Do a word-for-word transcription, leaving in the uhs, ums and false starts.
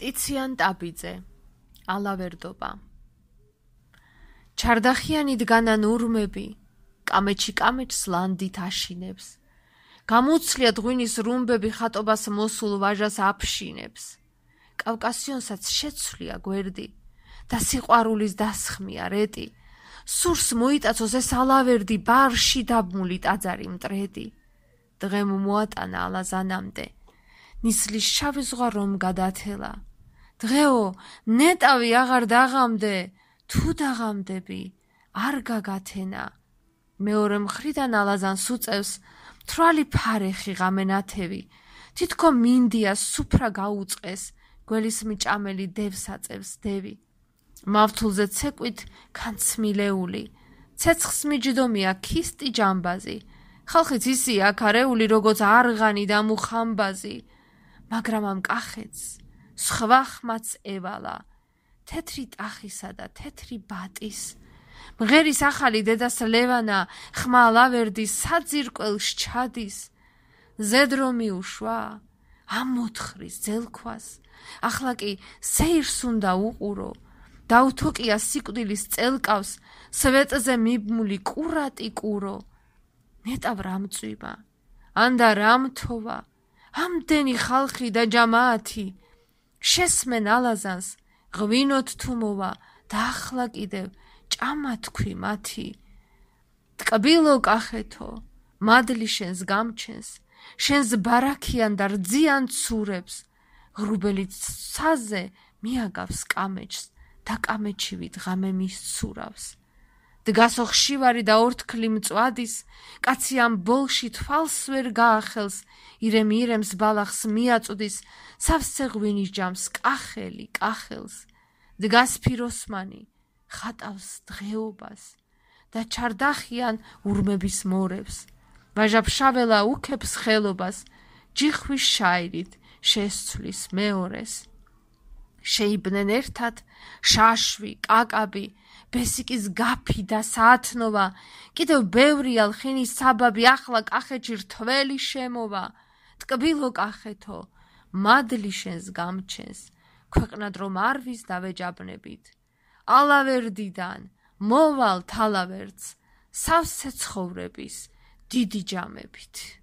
ტიციან ტაბიძე, ალავერდობა. ჩარდახიანი დგანან ურმები, კამეჩი კამეჩს ლანდით აშინებს. გამუცლიათ ღვინის რუმბები ხატობას მოსულ ვაჟას აფშინებს. კავკასიონსაც შეცვლია გვერდი და სიყვარულის დასხმია რეტი. სურს მოიტაცოს ეს ალავერდი ბარში დაბმული ტაძარი მტრედი. დღემ მოატანა ალაზანამდე, ნისლის შავი ზღვა რომ გადათელა. დღეო, ნეტავი აღარ დაღამდე, თუ დაღამდები, არ გაგათენა. მეორე მხრიდან ალაზანს უწევს, მთვრალი ფარეხი ღამენათევი. თითქო მინდია სუფრა გაუწყეს, გველის მიჭამელი დევს აწევს დევი. მავთულზე ცეკვით განცმილეული, ცეცხს მიჯდომია ქისტი ჯამბაზი. ხალხიც ისია აქარეული, როგორც არღანი და მუხამბაზი. მაგრამ ამ კახეთს სხვა ხმაც ევალა, თეთრი ტახისა და თეთრი ბატის. მღერის ახალი დედას ლევანა, ხმა ალავერდის საძირკველს ჩადის. ზედრო მიუშვა, ამოთხრის ძელქვას, ახლა კი სეირს უნდა უყურო. დაუთოკია სიკვდილის წელკავს, სვეტზე მიბმული კურატი კურო. ნეტავ რამწვიმა, ანდა რამთოვა, ამდენი ხალხი და ჯამაათი. შესმენ ალაზანს, ღვინოთ თუ მოვა და ახლა კიდევ ჭამა თქვი მათი. ტკბილო კახეთო, მადლი შენს გამჩენს, შენს ბარაქიან და რძიან ცურებს. ღრუბელი ცაზე მიაგავს კამეჩს და კამეჩივით ღამე მისცურავს. დგასო ხშირი და ორთქლი მწვადის, კაცი ამ ბოლში თვალს ვერ გაახელს, ირემ ირემს ბალახს მიაწვდის, სავსე ღვინის ჯამს კახელი კახელს. დგას ფიროსმანი, ხატავს დღეობას და ჩარდახიან ურმების მორევს. ვაჟა-ფშაველა უქებს ხელობას, ჯიხვის შაირით შესცვლის მეორეს. შეიბნენ ერთად შაშვი, კაკაბი, ბესიკის გაფი და საათნოვა. კიდევ ბევრია ლხინის საბაბი, ახლა კახეთში რთველი შემოვა. ტკბილო კახეთო, მადლი შენს გამჩენს, ქვეყნად რომ არვის დავეჯაბნებით. ალავერდიდან მოვალთ ალავერდს, სავსე ცხოვრების დიდი ჯამებით.